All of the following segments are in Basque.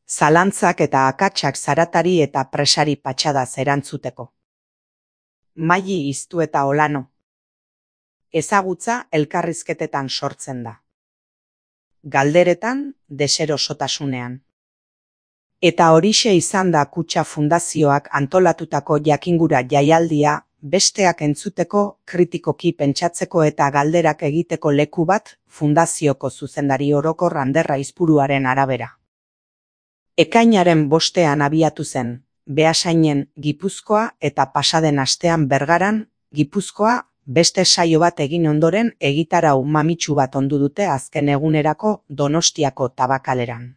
zalantzak eta akatsak zaratari eta presari patxadaz erantzuteko. Maili iztu eta olano. Ezagutza elkarrizketetan sortzen da. Galderetan, deserosotasunean. Eta horixe izan da Kutxa Fundazioak antolatutako jakingura jaialdia, besteak entzuteko, kritikoki pentsatzeko eta galderak egiteko leku bat, fundazioko zuzendari orokor Ander Aizpuruaren arabera. Ekainaren 5ean abiatu zen, Beasainen, Gipuzkoa eta pasaden astean Bergaran, Gipuzkoa, beste saio bat egin ondoren egitarau mamitsu bat ondu dute azken egunerako Donostiako Tabakaleran.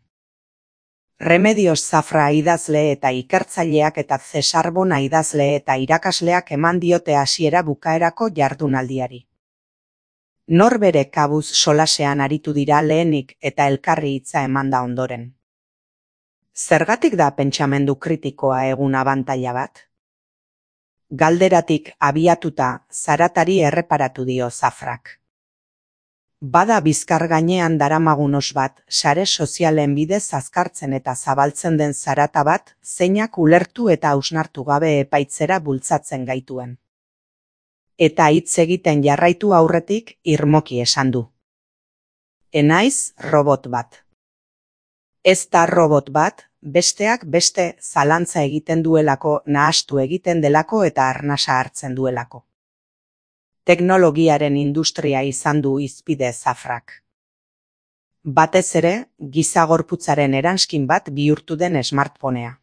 Remedios Zafra idazle eta ikertzaileak eta Cesar Bona idazle eta irakasleak eman diote hasiera bukaerako jardunaldiari. Norbere kabuz solasean aritu dira lehenik eta elkarri hitza emanda ondoren. Zergatik da pentsamendu kritikoa egun abantaila bat? Galderatik abiatuta zaratari erreparatu dio Zafrak. Bada bizkar gainean daramagun os bat, sare sozialen bidez azkartzen eta zabaltzen den zarata bat, zeinak ulertu eta hausnartu gabe epaitzera bultzatzen gaituen. Eta hitz egiten jarraitu aurretik irmoki esan du. Enaiz robot bat. Ez da robot bat, besteak beste zalantza egiten duelako, nahastu egiten delako eta arnasa hartzen duelako. Teknologiaren industria izan du hizpide Zafrak. Batez ere, giza gorputzaren eranskin bat bihurtu den smartphonea.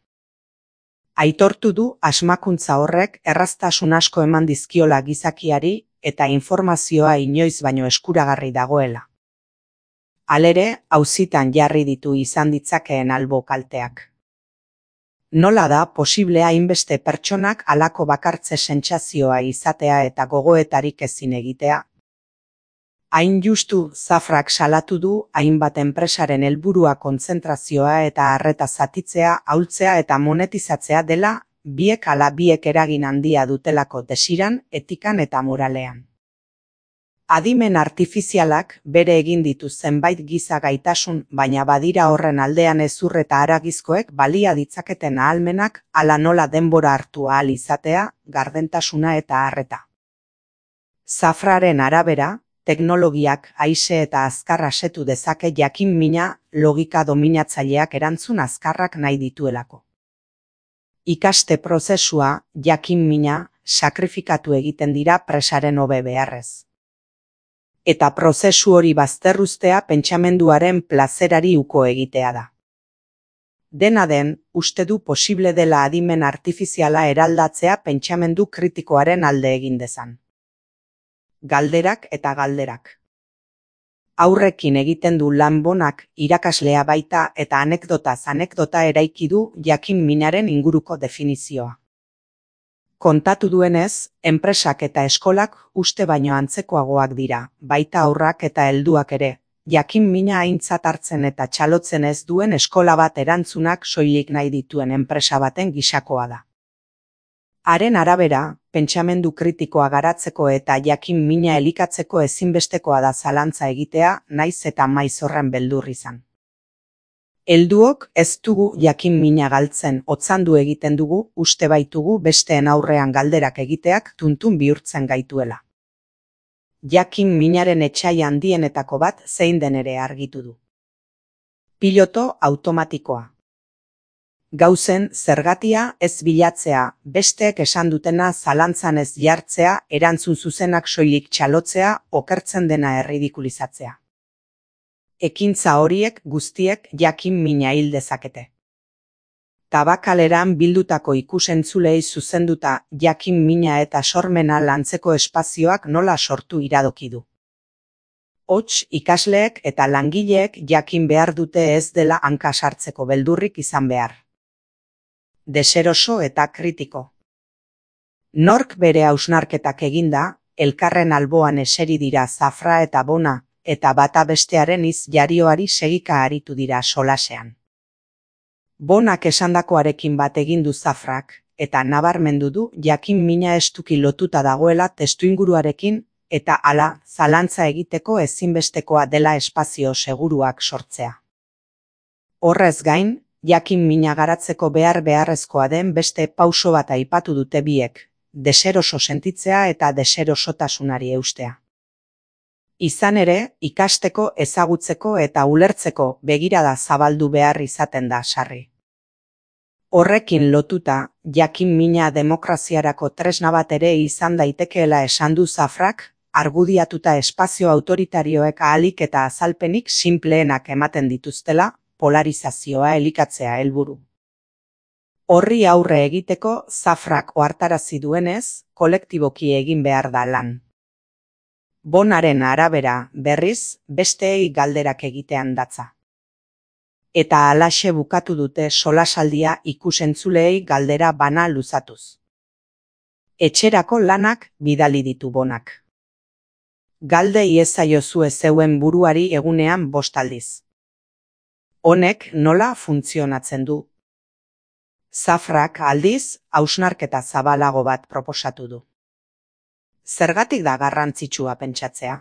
Aitortu du asmakuntza horrek erraztasun asko eman dizkiola gizakiari eta informazioa inoiz baino eskuragarri dagoela. Halere, auzitan jarri ditu izan ditzakeen albo kalteak. Nola da posible hainbeste pertsonak halako bakartze sentsazioa izatea eta gogoetarik ezin egitea? Hain justu Zafrak salatu du hainbat enpresaren helburua kontzentrazioa eta arreta zatitzea, ahultzea eta monetizatzea dela, biek ala biek eragin handia dutelako desiran, etikan eta moralean. Adimen artifizialak bere egin ditu zenbait giza gaitasun, baina badira horren aldean hezur eta haragizkoek balia ditzaketen ahalmenak hala nola denbora hartu ahal izatea, gardentasuna eta harreta. Zafraren arabera, teknologiak aise eta azkar asetu dezake jakin-mina logika dominatzaileak erantzun azkarrak nahi dituelako. Ikaste prozesua, jakin-mina, sakrifikatu egiten dira presaren hobe beharrez. Eta prozesu hori bazterruztea pentsamenduaren plazerari uko egitea da. Dena den, uste du posible dela adimen artifiziala eraldatzea pentsamendu kritikoaren alde egin dezan. Galderak eta galderak. Aurrekin egiten du lan bonak irakaslea baita eta anekdotaz anekdota eraiki du jakin-minaren inguruko definizioa. Kontatu duenez, enpresak eta eskolak uste baino antzekoagoak dira, baita haurrak eta helduak ere, jakin-mina aintzat hartzen eta txalotzen ez duen eskola bat erantzunak soilik nahi dituen enpresa baten gisakoa da. Haren arabera, pentsamendu kritikoa garatzeko eta jakin-mina elikatzeko ezinbestekoa da zalantza egitea, naiz eta maiz horren beldur izan. Helduok ez dugu jakin-mina galtzen, otzandu egiten dugu, uste baitugu besteen aurrean galderak egiteak tuntun bihurtzen gaituela. Jakin-minaren etsai handienetako bat zein den ere argitu du. Piloto automatikoa. Gauzen zergatia ez bilatzea, besteek esan dutena zalantzan ez jartzea, erantzun zuzenak soilik txalotzea, okertzen dena erridikulizatzea. Ekintza horiek guztiek jakin-mina hil dezakete. Tabakaleran bildutako ikusentzulei zuzenduta jakin-mina eta sormena lantzeko espazioak nola sortu iradoki du. Hots, ikasleek eta langileek jakin behar dute ez dela hanka sartzeko beldurrik izan behar. Deseroso eta kritiko. Nork bere hausnarketak eginda, elkarren alboan eseri dira Zafra eta Bona, eta bata bestearen jarioari segika aritu dira solasean. Bonak esandakoarekin bat egin du Zafrak, eta nabarmendu du jakin-mina estuki lotuta dagoela testuinguruarekin, eta hala zalantza egiteko ezinbestekoa dela espazio seguruak sortzea. Horrez gain, jakin mina garatzeko beharrezkoa den beste pauso bat aipatu dute biek, deseroso sentitzea eta deserosotasunari eustea. Izan ere, ikasteko, ezagutzeko eta ulertzeko begirada zabaldu behar izaten da sarri. Horrekin lotuta, jakin mina demokraziarako tresna bat ere izan daitekeela esan du Zafrak, argudiatuta espazio autoritarioek ahalik eta azalpenik sinpleenak ematen dituztela, polarizazioa elikatzea helburu. Horri aurre egiteko Zafrak ohartarazi duenez, kolektiboki egin behar da lan. Bonaren arabera, berriz, besteei galderak egitean datza. Eta halaxe bukatu dute solasaldia ikusentzuleei galdera bana luzatuz. Etxerako lanak bidali ditu Bonak. Galde iezaiozue zeuen buruari egunean 5 aldiz. Honek nola funtzionatzen du? Zafrak aldiz, hausnarketa zabalago bat proposatu du. Zergatik da garrantzitsua pentsatzea?